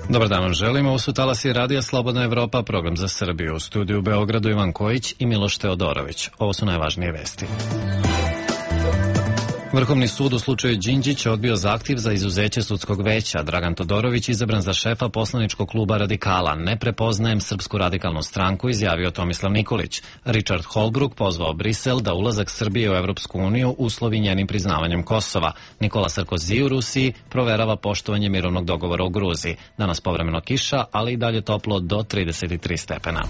Dobar dan vam želimo, ovo su talasi Radija Slobodna Evropa, program za Srbiju. U studiju u Beogradu Ivan Kojić i Miloš Teodorović. Ovo su najvažnije vesti. Vrhovni sud u slučaju Đinđić odbio zahtjev za izuzeće sudskog veća. Dragan Todorović izabran za šefa poslaničkog kluba Radikala. Ne prepoznajem Srpsku radikalnu stranku, izjavio Tomislav Nikolić. Richard Holbrooke pozvao Brisel da ulazak Srbije u Evropsku uniju uslovi njenim priznavanjem Kosova. Nikola Sarkozy u Rusiji proverava poštovanje mirovnog dogovora u Gruziji. Danas povremeno kiša, ali i dalje toplo do 33 stepena.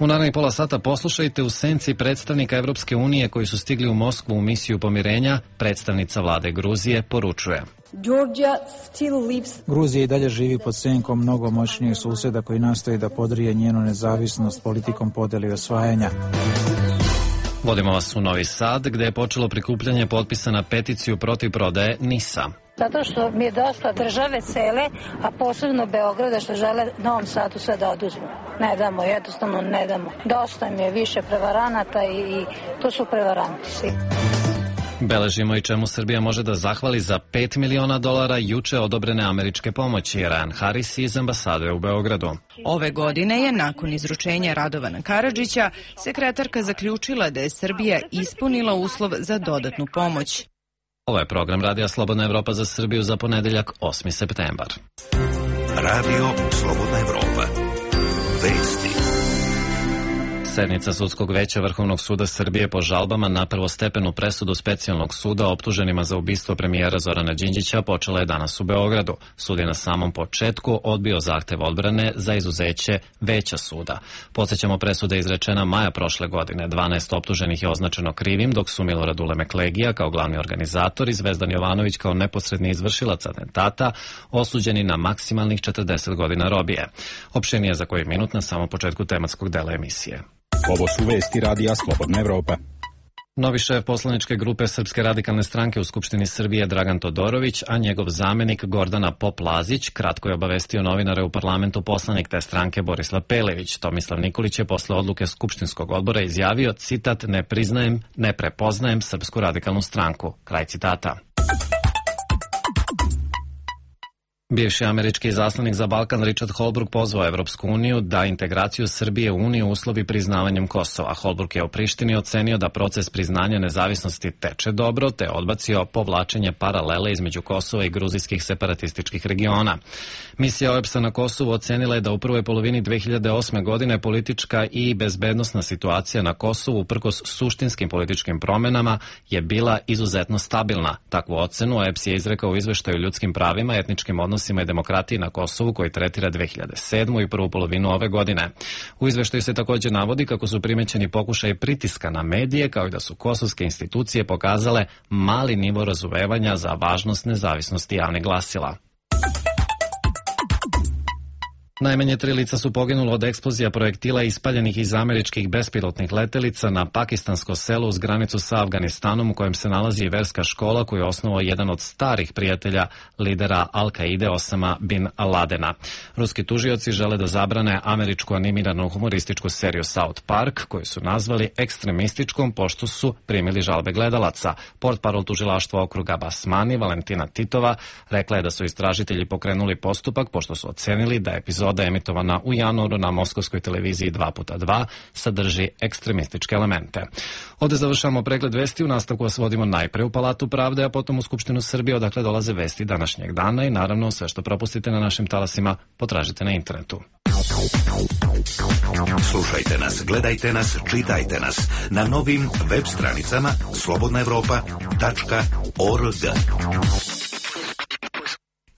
U narednih pola sata poslušajte u senci predstavnika Evropske unije koji su stigli u Moskvu u misiju pomirenja. Predstavnica vlade Gruzije poručuje: Gruzija i dalje živi pod senkom mnogo moćnijih suseda koji nastoji da podrije njenu nezavisnost politikom podjele i osvajanja. Vodimo vas u Novi Sad, gde je počelo prikupljanje potpisa na peticiju protiv prodaje NIS-a. Zato što mi je dosta države cele, a posebno Beograda, što žele Novom Sadu sve da oduzmu. Ne damo, jednostavno ne damo. Dosta mi je više prevaranata i to su prevaranti svi. Beležimo i čemu Srbija može da zahvali za $5 miliona juče odobrene američke pomoći. Ryan Harris iz ambasade u Beogradu. Ove godine je, nakon izručenja Radovana Karadžića, sekretarka zaključila da je Srbija ispunila uslov za dodatnu pomoć. Ovo je program Radija Slobodna Evropa za Srbiju za ponedeljak 8. septembar. Radio Slobodna Evropa. Vesti. Sednica Sudskog veća Vrhovnog suda Srbije po žalbama na prvostepenu presudu Specijalnog suda optuženima za ubistvo premijera Zorana Đinđića počela je danas u Beogradu. Sud je na samom početku odbio zahtev odbrane za izuzeće veća suda. Podsećamo, presuda je izrečena maja prošle godine. 12 optuženih je označeno krivim, dok su Milorad Ulemeklegija kao glavni organizator i Zvezdan Jovanović kao neposredni izvršilac atentata osuđeni na maksimalnih 40 godina robije. Opširnije za koji minut na samom početku tematskog dela emisije. Ovo su vesti Radija Slobodna Evropa. Novi šef poslaničke grupe Srpske radikalne stranke u Skupštini Srbije Dragan Todorović, a njegov zamenik Gordana Pop-Lazić kratko je obavestio novinare u parlamentu poslanik te stranke Borislav Pelević. Tomislav Nikolić je posle odluke Skupštinskog odbora izjavio, citat, ne prepoznajem Srpsku radikalnu stranku. Kraj citata. Bivši američki izaslanik za Balkan Richard Holbrooke pozvao Evropsku uniju da integraciju Srbije u uniju uslovi priznavanjem Kosova. Holbrooke je u Prištini ocenio da proces priznanja nezavisnosti teče dobro, te odbacio povlačenje paralele između Kosova i gruzijskih separatističkih regiona. Misija OEBS-a na Kosovu ocenila je da u prvoj polovini 2008. godine politička i bezbednosna situacija na Kosovu, uprkos suštinskim političkim promenama, je bila izuzetno stabilna. Takvu ocenu OEBS je izrekao u izveštaju o ljudskim pravima, etničkim odnosima i demokratiji na Kosovu koji tretira 2007. i prvu polovinu ove godine. U izveštaju se također navodi kako su primećeni pokušaj pritiska na medije, kao i da su kosovske institucije pokazale mali nivo razumevanja za važnost nezavisnosti javnih glasila. Najmanje 3 lica su poginulo od eksplozija projektila ispaljenih iz američkih bespilotnih letelica na pakistansko selo uz granicu sa Afganistanom, u kojem se nalazi i verska škola koju je osnovao jedan od starih prijatelja lidera Al-Kaide Osama bin Ladena. Ruski tužioci žele da zabrane američku animiranu humorističku seriju South Park, koju su nazvali ekstremističkom pošto su primili žalbe gledalaca. Portparol tužilaštva okruga Basmani, Valentina Titova, rekla je da su istražitelji pokrenuli postupak pošto su ocenili da epizoda emitovana u januaru na moskovskoj televiziji 2x2 sadrži ekstremističke elemente. Ovde završamo pregled vesti, u nastavku vas vodimo najpre u Palatu pravde, a potom u Skupštinu Srbije, odakle dolaze vesti današnjeg dana i naravno sve što propustite na našim talasima potražite na internetu. Slušajte nas, gledajte nas, čitajte nas na novim web stranicama slobodnaevropa.org.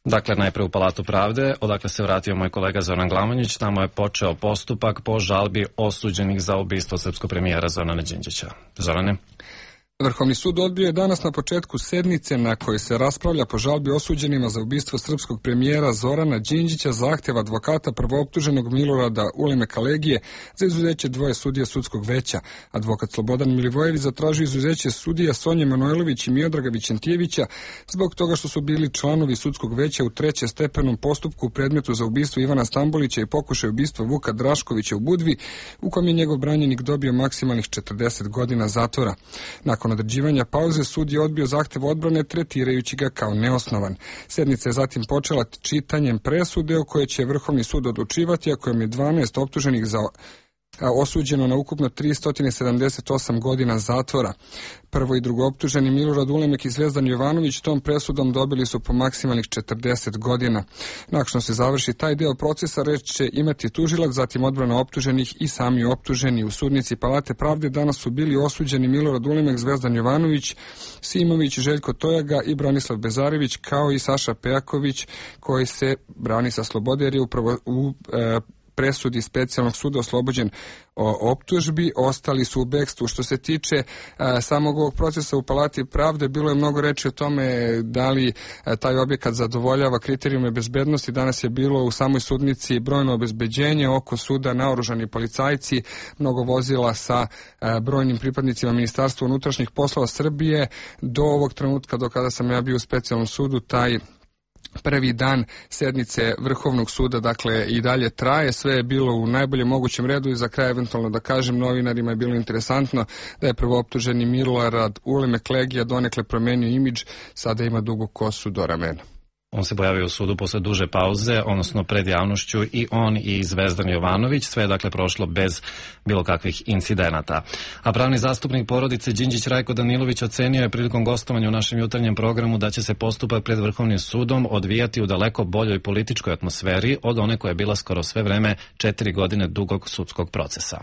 Dakle, najpre u Palatu pravde, odakle se vratio moj kolega Zoran Glamonjić, tamo je počeo postupak po žalbi osuđenih za ubistvo srpskog premijera Zorana Đinđića. Zorane? Vrhovni sud odbio je danas na početku sednice na kojoj se raspravlja po žalbi osuđenima za ubistvo srpskog premijera Zorana Đinđića zahtev advokata prvooptuženog Milorada Ulemeklegije za izuzeće dvoje sudija sudskog veća. Advokat Slobodan Milivojević zatražio izuzeće sudija Sonje Manojlović i Miodraga Vićentijevića zbog toga što su bili članovi sudskog veća u trećestepenom postupku u predmetu za ubistvo Ivana Stambolića i pokušaj ubistva Vuka Draškovića u Budvi, u kojem je njegov branjenik dobio maksimalnih 40 godina zatvora. Nakon Nakon određivanja pauze, sud je odbio zahtev odbrane tretirajući ga kao neosnovan. Sednica je zatim počela čitanjem presude o kojoj će Vrhovni sud odlučivati, a kojom je 12 optuženih osuđeno na ukupno 378 godina zatvora. Prvo i drugo optuženi Milorad Ulemek i Zvezdan Jovanović tom presudom dobili su po maksimalnih 40 godina. Nakon što se završi taj deo procesa, reč će imati tužilac, zatim odbrana optuženih i sami optuženi. U sudnici Palate pravde danas su bili osuđeni Milorad Ulemek, Zvezdan Jovanović, Simović, Željko Tojaga i Branislav Bezarević, kao i Saša Pejaković, koji se brani sa slobode jer je upravo u presudi specijalnog suda oslobođen optužbi, ostali su u bekstvu. Što se tiče samog ovog procesa u Palati pravde, bilo je mnogo reči o tome da li taj objekat zadovoljava kriterijume bezbednosti. Danas je bilo u samoj sudnici brojno obezbeđenje, oko suda naoružani policajci, mnogo vozila sa brojnim pripadnicima Ministarstva unutrašnjih poslova Srbije. Do ovog trenutka, do kada sam ja bio u specijalnom sudu, taj prvi dan sednice Vrhovnog suda, dakle, i dalje traje. Sve je bilo u najboljem mogućem redu i za kraj eventualno da kažem, novinarima je bilo interesantno da je prvooptuženi Milorad Ulemek Legija donekle promenio imidž, sada ima dugu kosu do ramena. On se pojavio u sudu posle duže pauze, odnosno pred javnošću, i on i Zvezdan Jovanović. Sve je dakle prošlo bez bilo kakvih incidenata. A pravni zastupnik porodice Đinđić Rajko Danilović ocenio je prilikom gostovanja u našem jutarnjem programu da će se postupak pred Vrhovnim sudom odvijati u daleko boljoj političkoj atmosferi od one koja je bila skoro sve vreme 4 godine dugog sudskog procesa.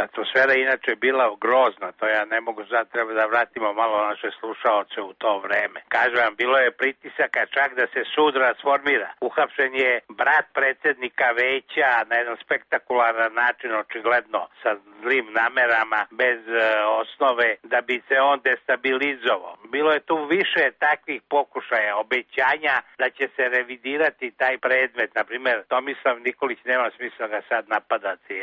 Atmosfera inače je bila grozna, to ja ne mogu sad, treba da vratimo malo naše slušaoce u to vreme. Kažem vam, bilo je pritisaka čak da se sud rasformira. Uhapšen je brat predsjednika veća na jedan spektakularan način, očigledno sa zlim namerama, bez osnove, da bi se on destabilizovao. Bilo je tu više takvih pokušaja, obećanja da će se revidirati taj predmet. Naprimjer, Tomislav Nikolić, nema smisla ga sad napadati,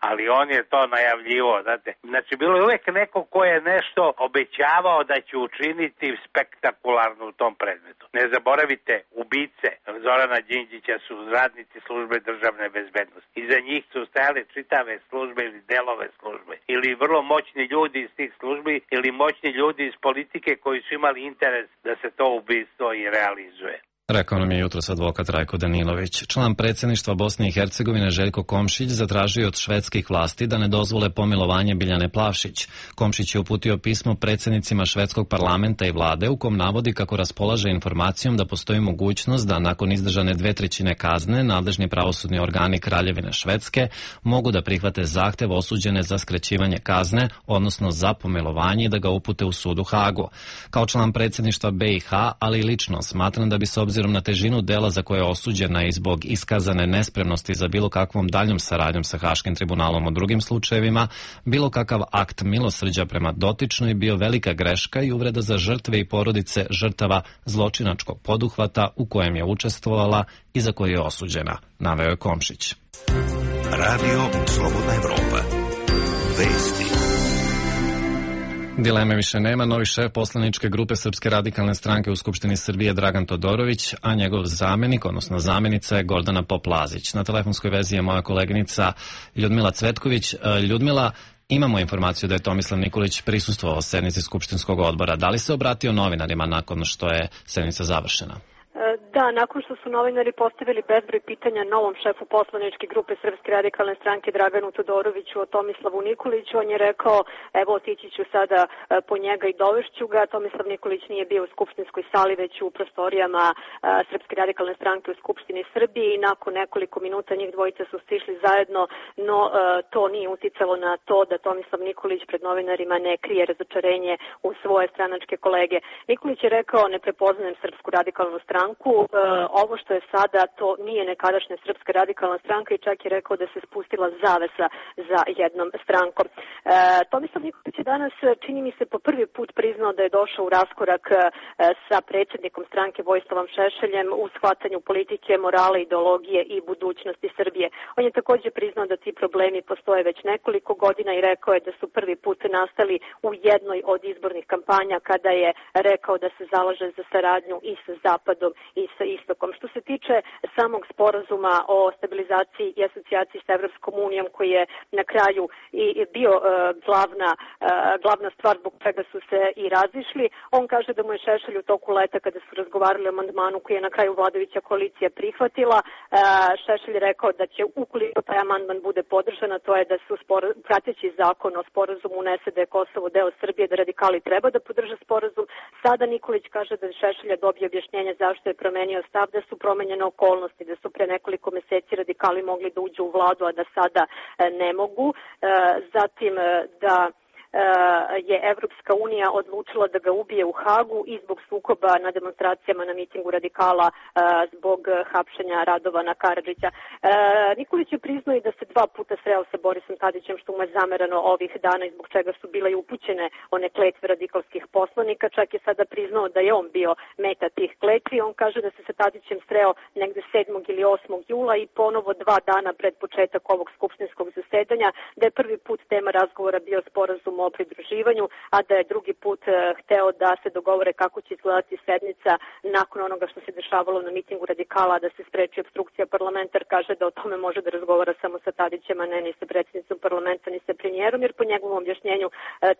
ali on je to najavljivo, znate. Znači, bilo je uvek neko ko je nešto obećavao da će učiniti spektakularno u tom predmetu. Ne zaboravite, ubice Zorana Đinđića su radnici službe državne bezbednosti. Iza njih su stajale čitave službe ili delove službe. Ili vrlo moćni ljudi iz tih službi, ili moćni ljudi iz politike koji su imali interes da se to ubistvo i realizuje. Rekao nam je jutros advokat Rajko Danilović. Član predsjedništva Bosne i Hercegovine Željko Komšić zatražio od švedskih vlasti da ne dozvole pomilovanje Biljane Plavšić. Komšić je uputio pismo predsjednicima švedskog parlamenta i vlade u kom navodi kako raspolaže informacijom da postoji mogućnost da nakon izdržane 2/3 kazne nadležni pravosudni organi Kraljevine Švedske mogu da prihvate zahtev osuđene za skraćivanje kazne, odnosno za pomilovanje, i da ga upute u sud u Hagu. Kao član predsjedništva BiH, ali i lično smatram da bi se obzirom na težinu dela za koje je osuđena i zbog iskazane nespremnosti za bilo kakvom daljom saradnjom sa Haškim tribunalom u drugim slučajevima, bilo kakav akt milosrđa prema dotičnoj bio velika greška i uvreda za žrtve i porodice žrtava zločinačkog poduhvata u kojem je učestvovala i za koje je osuđena, naveo je Komšić. Radio Slobodna Evropa. Vesti. Dileme više nema. Novi šef poslaničke grupe Srpske radikalne stranke u Skupštini Srbije Dragan Todorović, a njegov zamenik, odnosno zamenica je Gordana Pop-Lazić. Na telefonskoj vezi je moja koleginica Ljudmila Cvetković. Ljudmila, imamo informaciju da je Tomislav Nikolić prisustvovao sednici Skupštinskog odbora. Da li se obratio novinarima nakon što je sednica završena? Da, nakon što su novinari postavili bezbroj pitanja novom šefu poslaničke grupe Srpske radikalne stranke Draganu Todoroviću o Tomislavu Nikoliću, on je rekao, evo otići ću sada po njega i dovešću ga. Tomislav Nikolić nije bio u skupštinskoj sali, već u prostorijama Srpske radikalne stranke u Skupštini Srbije i nakon nekoliko minuta njih dvojica su stišli zajedno, no to nije uticalo na to da Tomislav Nikolić pred novinarima ne krije razočarenje u svoje stranačke kolege. Nikolić je rekao, ne prepoznajem Srpsku radikalnu stranku, ovo što je sada, to nije nekadašnja Srpska radikalna stranka i čak je rekao da se spustila zavesa za jednom strankom. Tomislav Nikolić je danas, čini mi se, po prvi put priznao da je došao u raskorak sa predsjednikom stranke Vojislavom Šešeljem u shvatanju politike, morale, ideologije i budućnosti Srbije. On je također priznao da ti problemi postoje već nekoliko godina i rekao je da su prvi put nastali u jednoj od izbornih kampanja kada je rekao da se zalaže za saradnju i sa Zapadom i sa istokom. Što se tiče samog sporazuma o stabilizaciji i asocijaciji sa Evropskom unijom, koji je na kraju i bio glavna stvar zbog čega su se i razišli, on kaže da mu je Šešelj u toku leta, kada su razgovarali o amandmanu koji je na kraju vladajuća koalicija prihvatila, Šešelj je rekao da će, ukoliko taj amandman bude podržan, to je da su prateći zakon o sporazumu unese da je Kosovo deo Srbije, da radikali treba da podrže sporazum. Sada Nikolić kaže da Šešelj dobije objašnjenje zašto je promenio stav, da su promenjene okolnosti, da su pre nekoliko meseci radikali mogli da uđu u vladu, a da sada ne mogu. Zatim da je Evropska unija odlučila da ga ubije u Hagu i zbog sukoba na demonstracijama na mitingu radikala zbog hapšenja Radovana Karadžića. Nikolić je priznao i da se 2 puta sreo sa Borisom Tadićem, što mu je zamerano ovih dana i zbog čega su bile i upućene one kletve radikalskih poslanika. Čak je sada priznao da je on bio meta tih kletvi. On kaže da se sa Tadićem sreo negde 7. ili 8. jula i ponovo 2 dana pred početak ovog skupštinskog zasedanja, da je prvi put tema razgovora bio sporazum o pridruživanju, a da je drugi put hteo da se dogovore kako će izgledati sednica nakon onoga što se dešavalo na mitingu radikala, da se spreči opstrukcija parlamenta, jer kaže da o tome može da razgovara samo sa Tadićem, a ne ni sa predsjednicom parlamenta, ni sa premijerom, jer po njegovom objašnjenju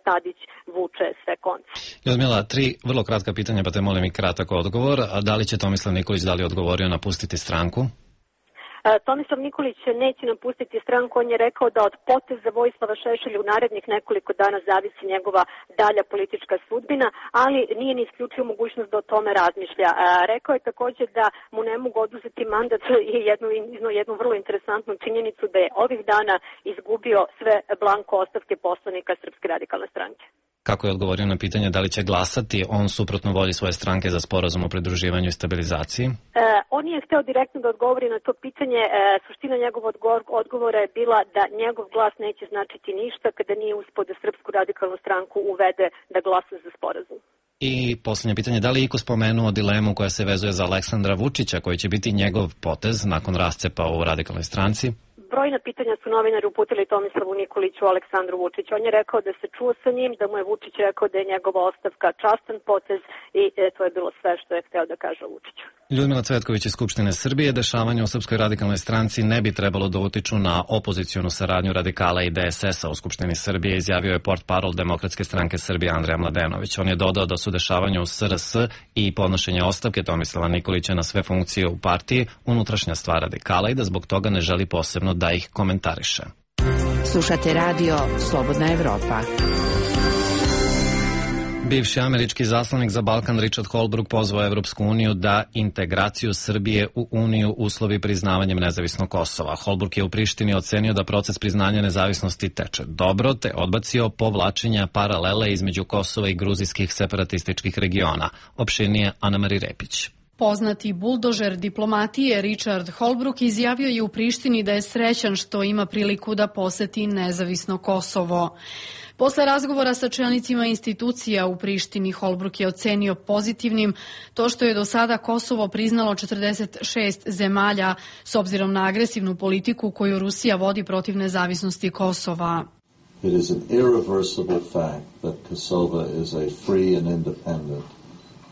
Tadić vuče sve konce. Ljudmila, 3 vrlo kratka pitanja, pa te molim i kratak odgovor. A da li će Tomislav Nikolić odgovorio napustiti stranku? Tomislav Nikolić neće napustiti stranku. On je rekao da od poteza Vojislava Šešelja u narednih nekoliko dana zavisi njegova dalja politička sudbina, ali nije ni isključio mogućnost da o tome razmišlja. Rekao je također da mu ne mogu oduzeti mandat i jednu vrlo interesantnu činjenicu da je ovih dana izgubio sve blanko ostavke poslanika Srpske radikalne stranke. Kako je odgovorio na pitanje da li će glasati on suprotno volji svoje stranke za sporazum o pridruživanju i stabilizaciji? On je hteo direktno da odgovori na to pitanje. Suština njegovog odgovora je bila da njegov glas neće značiti ništa kada nije uspeo da Srpsku radikalnu stranku uvede da glasa za sporazum. I posljednje pitanje, da li je iko spomenuo dilemu koja se vezuje za Aleksandra Vučića, koji će biti njegov potez nakon rascepa u radikalnoj stranci? Brojna pitanja su novinari uputili Tomislavu Nikoliću, Aleksandru Vučiću. On je rekao da se čuo sa njim, da mu je Vučić rekao da je njegova ostavka častan potez i to je bilo sve što je hteo da kaže Vučiću. Ljudmila Cvetković iz Skupštine Srbije, dešavanje u Srpskoj radikalnoj stranci ne bi trebalo da utiču na opozicijonu saradnju radikala i DSS-a u Skupštini Srbije, izjavio je portparol Demokratske stranke Srbije Andrija Mladenović. On je dodao da su dešavanja u SRS i podnošenje ostavke Tomislava Nikolića na sve funkcije u partiji unutrašnja stvar radikala i da zbog toga ne želi posebno da ih komentariše. Slušate radio Slobodna Evropa. Bivši američki zaslanik za Balkan Richard Holbrooke pozvao Evropsku uniju da integraciju Srbije u Uniju uslovi priznavanjem nezavisnog Kosova. Holbrooke je u Prištini ocenio da proces priznanja nezavisnosti teče dobro, te odbacio povlačenja paralele između Kosova i gruzijskih separatističkih regiona. Opširnije Ana-Mari Repić. Poznati buldožer diplomatije Richard Holbrooke izjavio je u Prištini da je srećan što ima priliku da poseti nezavisno Kosovo. Posle razgovora sa čelnicima institucija u Prištini, Holbrooke je ocenio pozitivnim to što je do sada Kosovo priznalo 46 zemalja s obzirom na agresivnu politiku koju Rusija vodi protiv nezavisnosti Kosova. It is an irreversible fact that Kosovo is a free and independent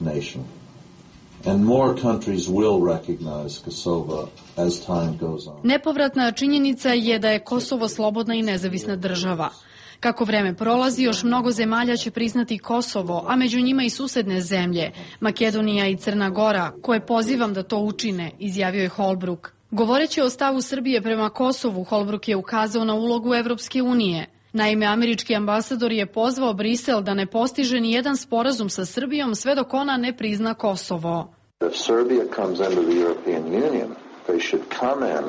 nation. And more countries will recognize Kosovo as time goes on. Nepovratna činjenica je da je Kosovo slobodna i nezavisna država. Kako vreme prolazi, još mnogo zemalja će priznati Kosovo, a među njima i susedne zemlje, Makedonija i Crna Gora, koje pozivam da to učine, izjavio je Holbrooke. Govoreći o stavu Srbije prema Kosovu, Holbrooke je ukazao na ulogu Evropske unije. Naime, američki ambasador je pozvao Brisel da ne postiže ni jedan sporazum sa Srbijom sve dok ona ne prizna Kosovo. If Serbia comes into the European Union, they should come in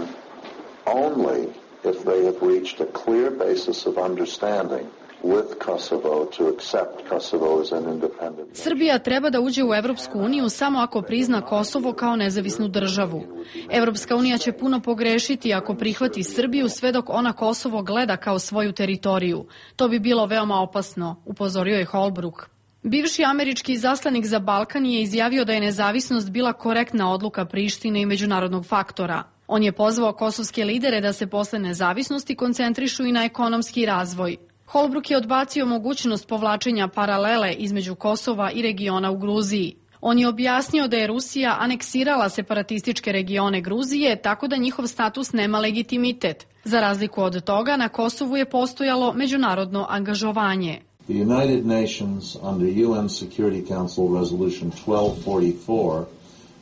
only if they have reached a clear basis of understanding with Kosovo to accept Kosovo as an independent. Srbija treba da uđe u Evropsku uniju samo ako prizna Kosovo kao nezavisnu državu. Evropska unija će puno pogrešiti ako prihvati Srbiju sve dok ona Kosovo gleda kao svoju teritoriju. To bi bilo veoma opasno, upozorio je Holbrooke. Bivši američki zaslanik za Balkan je izjavio da je nezavisnost bila korektna odluka Prištine i međunarodnog faktora. On je pozvao kosovske lidere da se posle nezavisnosti koncentrišu i na ekonomski razvoj. Holbrooke je odbacio mogućnost povlačenja paralele između Kosova i regiona u Gruziji. On je objasnio da je Rusija aneksirala separatističke regione Gruzije, tako da njihov status nema legitimitet. Za razliku od toga, na Kosovu je postojalo međunarodno angažovanje. The United Nations under UN Security Council Resolution 1244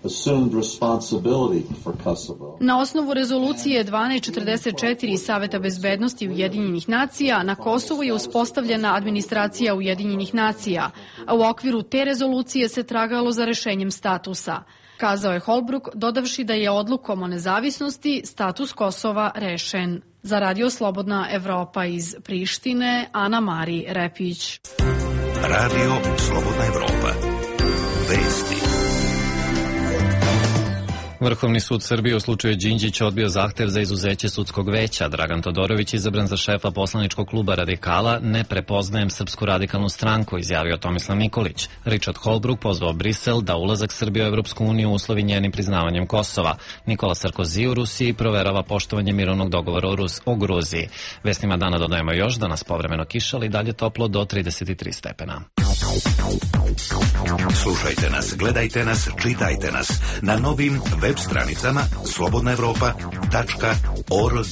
assumed responsibility for Kosovo. Na osnovu rezolucije 1244 Saveta bezbednosti Ujedinjenih nacija na Kosovu je uspostavljena administracija Ujedinjenih nacija, a u okviru te rezolucije se tragalo za rešenjem statusa. Kazao je Holbruk, dodavši da je odlukom o nezavisnosti status Kosova rešen. Za Radio Slobodna Evropa iz Prištine, Ana Mari Repić. Radio Slobodna Evropa. Vesti. Vrhovni sud Srbije u slučaju Đinđića odbio zahtev za izuzeće sudskog veća. Dragan Todorović, izabran za šefa poslaničkog kluba Radikala, ne prepoznajem Srpsku radikalnu stranku, izjavio Tomislav Nikolić. Richard Holbrooke pozvao Brisel da ulazak Srbije u Evropsku uniju uslovi njenim priznavanjem Kosova. Nikola Sarkozy u Rusiji proverava poštovanje mirovnog dogovora o Gruziji. Vestima dana dodajemo još da nas povremeno kišali, dalje toplo do 33 stepena. Slušajte nas, gledajte nas, čitajte nas na novim web stranicama slobodnaevropa.org.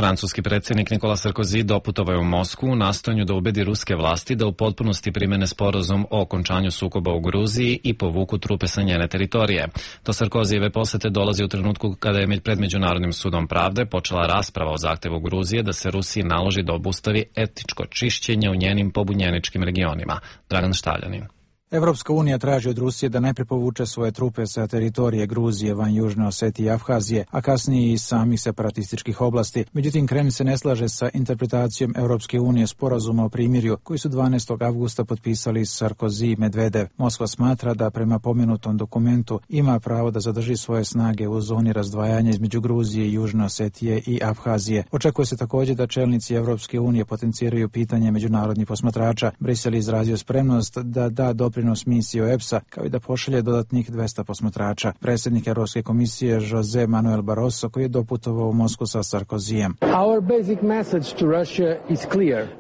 Francuski predsjednik Nikola Sarkozy doputovao je u Moskvu u nastojanju da ubedi ruske vlasti da u potpunosti primene sporazum o okončanju sukoba u Gruziji i povuku trupe sa njene teritorije. Do Sarkozijeve posete dolazi u trenutku kada je pred Međunarodnim sudom pravde počela rasprava o zahtevu Gruzije da se Rusiji naloži da obustavi etničko čišćenje u njenim pobunjeničkim regionima. Dragan Štaljanin. Evropska unija traži od Rusije da najprije povuče svoje trupe sa teritorije Gruzije, van Južne Osetije i Abhazije, a kasnije i samih separatističkih oblasti. Međutim, Kremlj se ne slaže sa interpretacijom Evropske unije sporazuma o primirju koji su 12. avgusta potpisali Sarkozy i Medvedev. Moskva smatra da prema pomenutom dokumentu ima pravo da zadrži svoje snage u zoni razdvajanja između Gruzije i Južne Osetije i Abhazije. Očekuje se također da čelnici Evropske unije potenciraju pitanje međunarodnih posmatrača. Brisel je izrazio spremnost da da doprinos misije OEBS-a, kao i da pošalje dodatnih 200 posmatrača. Predsjednik Europske komisije Jose Manuel Barroso, koji je doputovao u Moskvu sa Sarkozijem.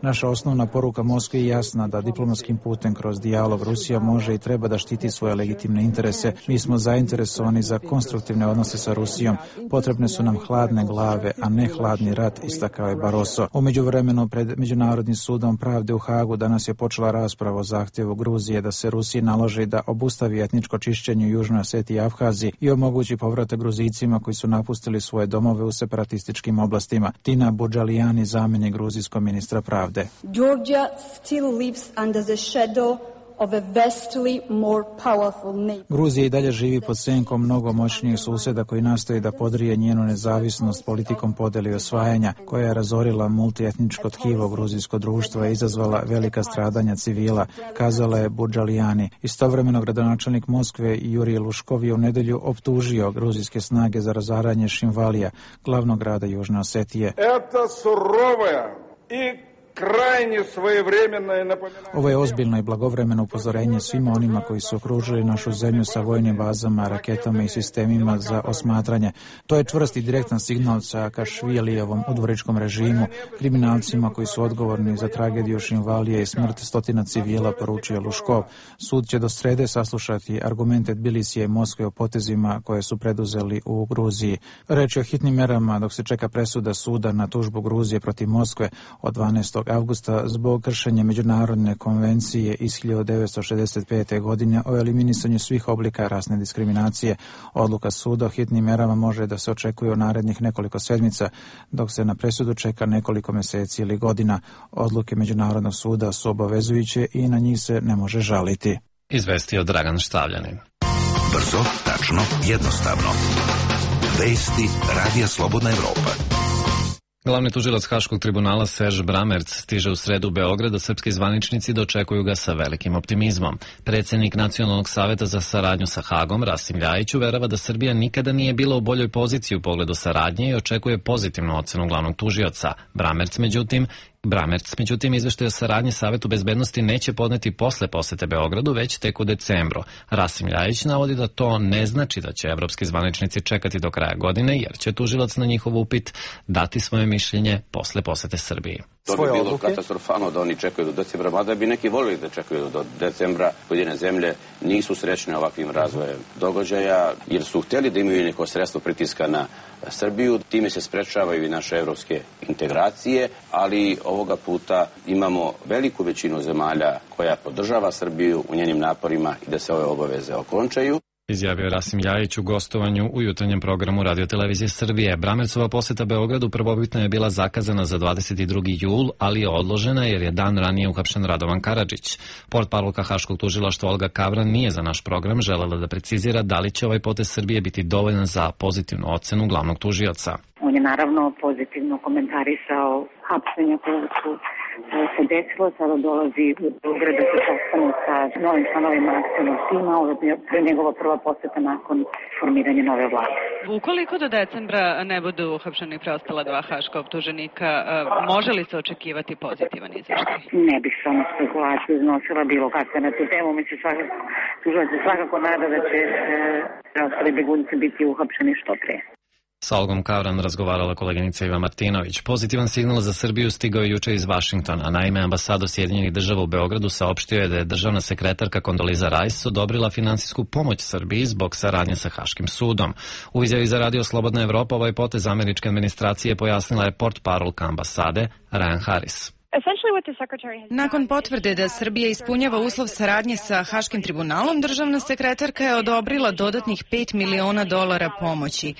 Naša osnovna poruka Moskvi je jasna da diplomatskim putem kroz dijalog Rusija može i treba da štiti svoje legitimne interese. Mi smo zainteresovani za konstruktivne odnose sa Rusijom. Potrebne su nam hladne glave, a ne hladni rat, istakao je Barroso. U međuvremenu pred Međunarodnim sudom pravde u Hagu danas je počela rasprava o zahtjevu Gruzije da se Rusiji naloži da obustavi etničko čišćenje u Južnoj Osetiji i Abhaziji i omogući povratak Gruzijcima koji su napustili svoje domove u separatističkim oblastima. Tina Budžalijani, zamjenik gruzijskog ministra pravde. Georgia still lives under the shadow of a vastly more powerful neighbor. Gruzija i dalje živi pod senkom mnogo moćnijih susjeda koji nastoji da podrije njenu nezavisnost politikom podjele i osvajanja, koja je razorila multietničko tkivo gruzijsko društvo i izazvala velika stradanja civila, kazala je Budžalijani. Istovremeno gradonačelnik Moskve Jurij Luškov je u nedelju optužio gruzijske snage za razaranje Šinvalija, glavnog grada Južne Osetije. Ovo je ozbiljno i blagovremeno upozorenje svima onima koji su okružili našu zemlju sa vojnim bazama, raketama i sistemima za osmatranje. To je čvrst i direktan signal Saakašvilijevom udvoričkom režimu, kriminalcima koji su odgovorni za tragediju Šinvalije i smrt stotina civila, poručio Luškov. Sud će do srede saslušati argumente Tbilisija i Moskve o potezima koje su preduzeli u Gruziji. Reč je o hitnim merama dok se čeka presuda suda na tužbu Gruzije protiv Moskve od 12. avgusta zbog kršenja međunarodne konvencije iz 1965. godine o eliminisanju svih oblika rasne diskriminacije. Odluka suda o hitnim merama može da se očekuje u narednih nekoliko sedmica, dok se na presudu čeka nekoliko mjeseci ili godina. Odluke Međunarodnog suda su obavezujuće i na njih se ne može žaliti. Izvestio Dragan Štavljanin. Brzo, tačno, jednostavno. Vesti Radija Slobodna Evropa. Glavni tužilac Haškog tribunala Serž Bramerc stiže u sredu u Beograd, a srpski zvaničnici dočekuju ga sa velikim optimizmom. Predsjednik Nacionalnog saveta za saradnju sa Hagom, Rasim Ljajić, uverava da Srbija nikada nije bila u boljoj poziciji u pogledu saradnje i očekuje pozitivnu ocenu glavnog tužioca. Bramerc, međutim, izveštaj o saradnji Savetu bezbednosti neće podneti posle posete Beogradu, već tek u decembru. Rasim Ljajić navodi da to ne znači da će evropski zvaničnici čekati do kraja godine, jer će tužilac na njihov upit dati svoje mišljenje posle posete Srbiji. To bi bilo katastrofalno da oni čekaju do decembra, mada bi neki volili da čekaju do decembra. Pojedine zemlje nisu srećne ovakvim razvojem događaja, jer su htjeli da imaju neko sredstvo pritiska na Srbiju. Time se sprečavaju i naše evropske integracije, ali ovoga puta imamo veliku većinu zemalja koja podržava Srbiju u njenim naporima i da se ove obaveze okončaju. Izjavio Rasim Ljajić u gostovanju u jutarnjem programu Radio-televizije Srbije. Bramercova poseta Beogradu prvobitno je bila zakazana za 22. jul, ali je odložena jer je dan ranije uhapšen Radovan Karadžić. Portparolka Haškog tužilaštva Olga Kavran nije za naš program želela da precizira da li će ovaj potez Srbije biti dovoljan za pozitivnu ocenu glavnog tužioca. On je naravno pozitivno komentarisao hapšenja koje su se desilo, sada dolazi u Beograd da se postane sa novim članovima akcionog tima, ovo je njegova prva poseta nakon formiranja nove vlade. Ukoliko do decembra ne budu uhapšeni preostala dva haška optuženika, može li se očekivati pozitivan izveštaj? Ne bih samo spekulaciju iznosila bilo kakve na tu temu, mi se svakako nada da će preostali begunci biti uhapšeni što pre. Sa Olgom Kavran razgovarala koleginica Iva Martinović. Pozitivan signal za Srbiju stigao je juče iz Vašingtona. Naime, ambasador Sjedinjenih država u Beogradu saopštio je da je državna sekretarka Kondoliza Rice odobrila finansijsku pomoć Srbiji zbog saradnje sa Haškim sudom. U izjavi za Radio Slobodna Evropa ovaj potez američke administracije pojasnila je portparolka ambasade Ryan Harris. Nakon potvrde da Srbija ispunjava uslov saradnje sa Haškim tribunalom, državna sekretarka je odobrila dodatnih $5 miliona pomoći.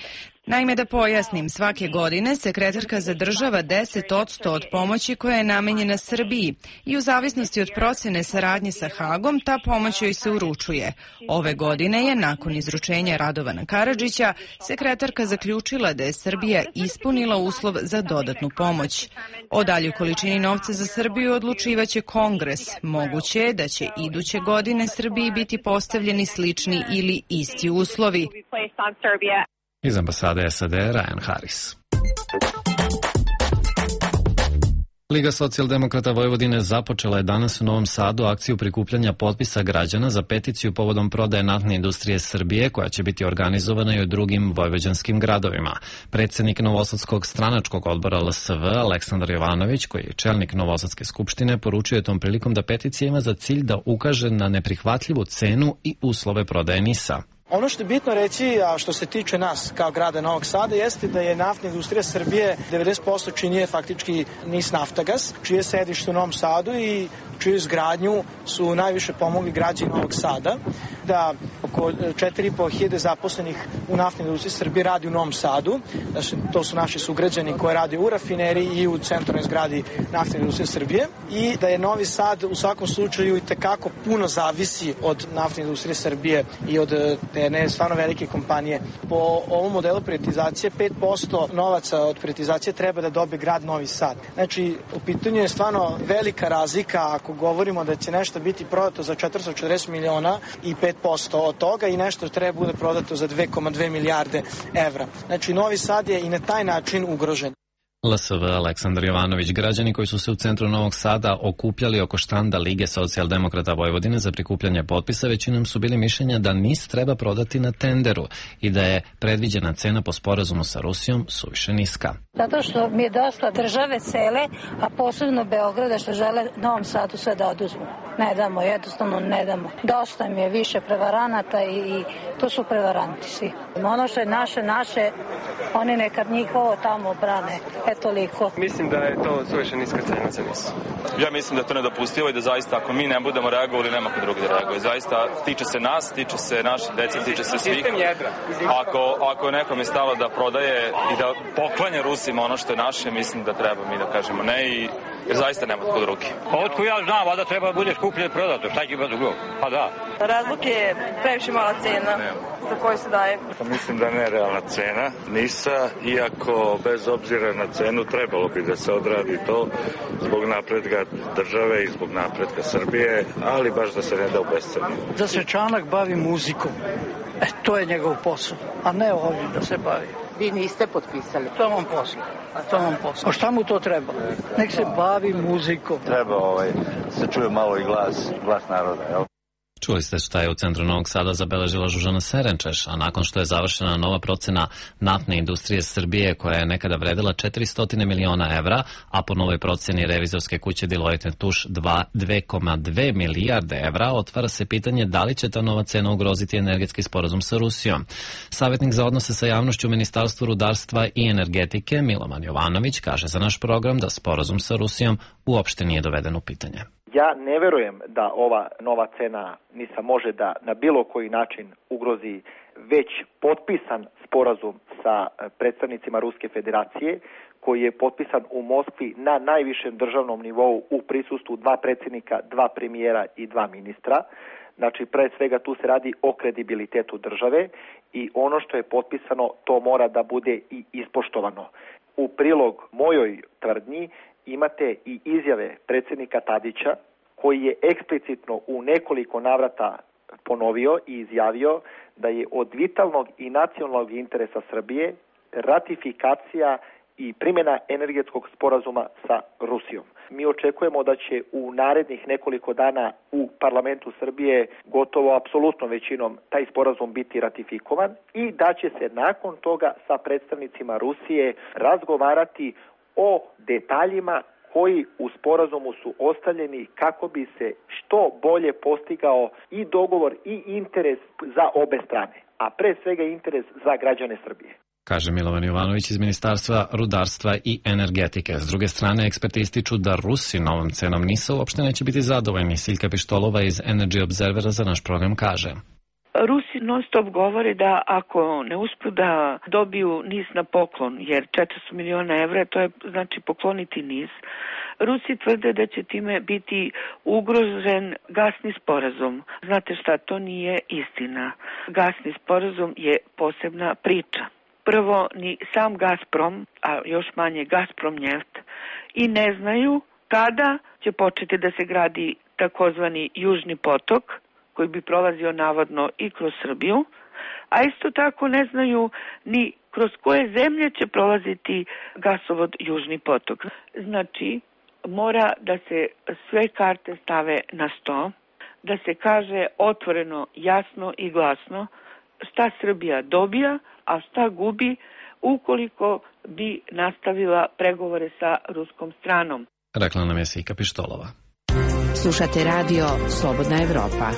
Naime, da pojasnim, svake godine sekretarka zadržava 10% od pomoći koja je namenjena Srbiji i u zavisnosti od procene saradnje sa Hagom, ta pomoć joj se uručuje. Ove godine je, nakon izručenja Radovana Karadžića, sekretarka zaključila da je Srbija ispunila uslov za dodatnu pomoć. O daljoj količini novca za Srbiju odlučivaće Kongres. Moguće je da će iduće godine Srbiji biti postavljeni slični ili isti uslovi. Iz ambasade SAD Ryan Harris. Liga socijaldemokrata Vojvodine započela je danas u Novom Sadu akciju prikupljanja potpisa građana za peticiju povodom prodaje naftne industrije Srbije, koja će biti organizovana i u drugim vojvođanskim gradovima. Predsjednik Novosadskog stranačkog odbora LSV Aleksandar Jovanović, koji je čelnik Novosadske skupštine, poručio je tom prilikom da peticija ima za cilj da ukaže na neprihvatljivu cenu i uslove prodaje NIS-a. Ono što je bitno reći, a što se tiče nas kao grada Novog Sada, jeste da je naftna industrija Srbije 90% čini faktički NIS Naftagas, čije sedište u Novom Sadu i čiju izgradnju su najviše pomogli građani Novog Sada, da oko 4.500 zaposlenih u naftnoj industriji Srbije radi u Novom Sadu, to su naši sugrađani koji rade u rafineriji i u centralnoj zgradi naftne industrije Srbije, i da je Novi Sad u svakom slučaju i tekako puno zavisi od naftne industrije Srbije i od jedne stvarno velike kompanije. Po ovom modelu privatizacije 5% novaca od privatizacije treba da dobije grad Novi Sad. Znači, u pitanju je stvarno velika razlika ako govorimo da će nešto biti prodato za 440 miliona i 5% od toga i nešto treba bude prodato za 2,2 milijarde evra. Znači, Novi Sad je i na taj način ugrožen. LSV Aleksandar Jovanović. Građani koji su se u centru Novog Sada okupljali oko štanda Lige socijaldemokrata Vojvodine za prikupljanje potpisa većinom su bili mišljenja da NIS treba prodati na tenderu i da je predviđena cena po sporazumu sa Rusijom suviše niska. Zato što mi je dosta države cele, a posebno Beograda, što žele Novom Sadu sve da oduzmu. Ne damo, jednostavno ne damo. Dosta mi je više prevaranata i to su prevaranti svi. Ono što je naše, oni neka njihovo tamo brane. Toliko. Mislim da je to suviše niska cena za NIS. Ja mislim da je to nedopustivo i da zaista ako mi ne budemo reagovali, nema ko drugi da reaguje. Zaista tiče se nas, tiče se naše dece, tiče se svih. Ako je nekom je stalo da prodaje i da poklanja Rusima ono što je naše, mislim da treba mi da kažemo ne, i jer zaista nema kod ruke. Pa otko ja znam, a da treba da bude skuplje prodato, šta će ima drugo? Pa da. Razlog je previše mala cena za koju se daje. Pa mislim da ne realna cena NIS-a, iako bez obzira na cenu trebalo bi da se odradi to zbog napretka države i zbog napretka Srbije, ali baš da se ne da u bescenu. Da se Čanak bavi muzikom, to je njegov posao, a ne ovdje da se bavi. Vi niste potpisali. To vam posao. A šta mu to treba? Nek se bavi muzikom. Treba se čuje malo i glas naroda, jel? Čuli ste šta je u centru Novog Sada zabeležila Žužana Serenčeš, a nakon što je završena nova procena naftne industrije Srbije koja je nekada vredila 400 miliona evra, a po novoj proceni revizorske kuće Deloitte & Touche 2,2 milijarde evra, otvara se pitanje da li će ta nova cena ugroziti energetski sporazum sa Rusijom. Savjetnik za odnose sa javnošću u Ministarstvu rudarstva i energetike Milovan Jovanović kaže za naš program da sporazum sa Rusijom uopšte nije doveden u pitanje. Ja ne verujem da ova nova cena NIS-a može da na bilo koji način ugrozi već potpisan sporazum sa predstavnicima Ruske federacije, koji je potpisan u Moskvi na najvišem državnom nivou u prisustvu 2 predsjednika, 2 premijera i 2 ministra. Znači, pre svega tu se radi o kredibilitetu države i ono što je potpisano, to mora da bude i ispoštovano. U prilog mojoj tvrdnji imate i izjave predsjednika Tadića, koji je eksplicitno u nekoliko navrata ponovio i izjavio da je od vitalnog i nacionalnog interesa Srbije ratifikacija i primjena energetskog sporazuma sa Rusijom. Mi očekujemo da će u narednih nekoliko dana u parlamentu Srbije gotovo apsolutno većinom taj sporazum biti ratifikovan i da će se nakon toga sa predstavnicima Rusije razgovarati o detaljima koji u sporazumu su ostavljeni kako bi se što bolje postigao i dogovor i interes za obe strane, a pre svega interes za građane Srbije. Kaže Milovan Jovanović iz Ministarstva rudarstva i energetike. S druge strane, eksperti ističu da Rusi novom cenom NIS-a uopšte neće biti zadovoljni. Siljka Pištolova iz Energy Observera za naš program kaže. Rusi non stop govore da ako ne uspu da dobiju NIS na poklon, jer 400 miliona evra, to je znači pokloniti NIS, Rusi tvrde da će time biti ugrožen gasni sporazum. Znate šta, to nije istina. Gasni sporazum je posebna priča. Prvo, ni sam Gazprom, a još manje Gazprom Njeft, i ne znaju kada će početi da se gradi takozvani Južni potok, koji bi prolazio navodno i kroz Srbiju, a isto tako ne znaju ni kroz koje zemlje će prolaziti gasovod Južni potok. Znači, mora da se sve karte stave na sto, da se kaže otvoreno, jasno i glasno šta Srbija dobija, a šta gubi ukoliko bi nastavila pregovore sa ruskom stranom. Rekla nam je Siljka Pištolova. Slušate radio Slobodna Evropa.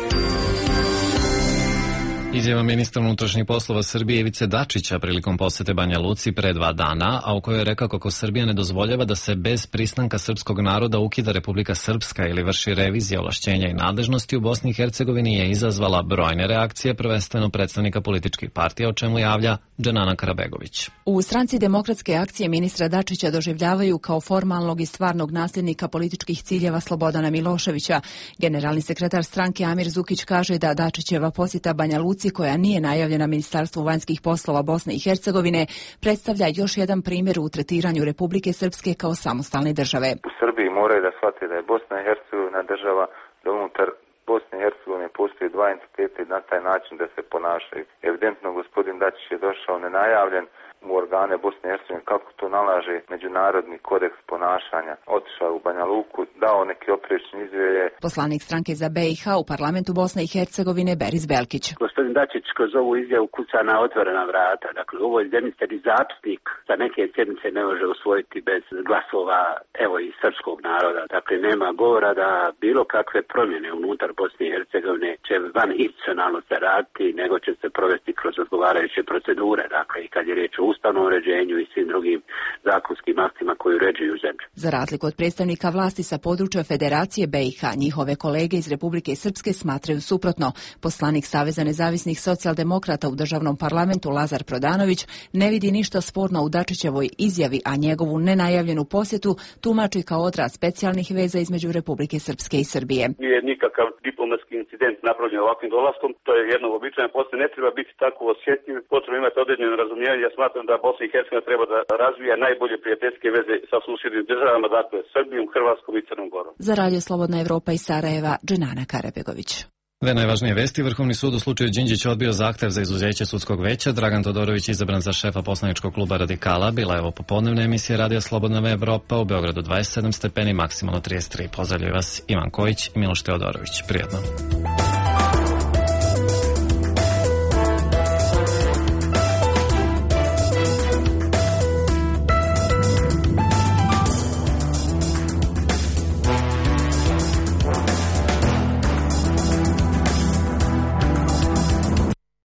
Izjava ministra unutrašnjih poslova Srbije Ivice Dačića prilikom posete Banja Luci pre 2 dana, a u kojoj je rekao kako Srbija ne dozvoljava da se bez pristanka srpskog naroda ukida Republika Srpska ili vrši revizija ovlašćenja i nadležnosti u Bosni i Hercegovini je izazvala brojne reakcije, prvenstveno predstavnika političkih partija, o čemu javlja Dženana Karabegović. U stranci Demokratske akcije ministra Dačića doživljavaju kao formalnog i stvarnog nasljednika političkih ciljeva Slobodana Miloševića. Generalni sekretar stranke Amir Zukić kaže da Dačićeva posjeta Banja Luci, koja nije najavljena Ministarstvu vanjskih poslova Bosne i Hercegovine, predstavlja još jedan primjer u tretiranju Republike Srpske kao samostalne države. U Srbiji moraju da shvate da je Bosna i Hercegovina država, da unutar Bosne i Hercegovine postoji 2 entiteta i na taj način da se ponašaju. Evidentno gospodin Dačić je došao nenajavljen u organe Bosne i Hercegovine, kako to nalaže međunarodni kodeks ponašanja. Otišao u Banja Luku, dao neki oprečni izjave. Poslanik stranke za BiH u parlamentu Bosne i Hercegovine Beris Belkić. Gospodin Dačić kroz ovu izjavu kuca na otvorena vrata. Dakle, ovo je zemlji zapisnik za neke sjednice ne može usvojiti bez glasova, evo, i srpskog naroda. Dakle, nema govora da bilo kakve promjene unutar Bosne i Hercegovine će van institucionalno se raditi, nego će se provesti kroz odgovarajuće procedure. Dakle, i kad je riječ o ustavnom uređenju i svim drugim zakonskim aktima koji uređuju zemlju. Za razliku od predstavnika vlasti sa područja Federacije BiH, njihove kolege iz Republike Srpske smatraju suprotno. Poslanik Saveza nezavisnih socijaldemokrata u državnom parlamentu Lazar Prodanović ne vidi ništa sporno u Dačićevoj izjavi, a njegovu nenajavljenu posjetu tumači kao odraz specijalnih veza između Republike Srpske i Srbije. Nije nikakav diplomatski incident napravljen ovakvim dolaskom, to je jedno uobičajeno posle, ne treba biti tako osjetljiv, potrebno imati određeno razumijevanje. Ja smatram da Bosna i Hercegovina treba da razvija najbolje prijateljske veze sa susjednim državama, dakle Srbijom, Hrvatskom i Crnom Gorom. Za Radio Slobodna Evropa iz Sarajeva, Dženana Karabegović. Dve najvažnije vesti. Vrhovni sud u slučaju Đinđić odbio zahtev za izuzeće sudskog veća. Dragan Todorović izabran za šefa poslaničkog kluba Radikala. Bila je ovo popodnevna emisija Radija Slobodna Evropa. U Beogradu 27 stepeni, maksimalno 33. Pozdravljaju vas Ivan Kojić i Miloš Teodorović. Prijatno.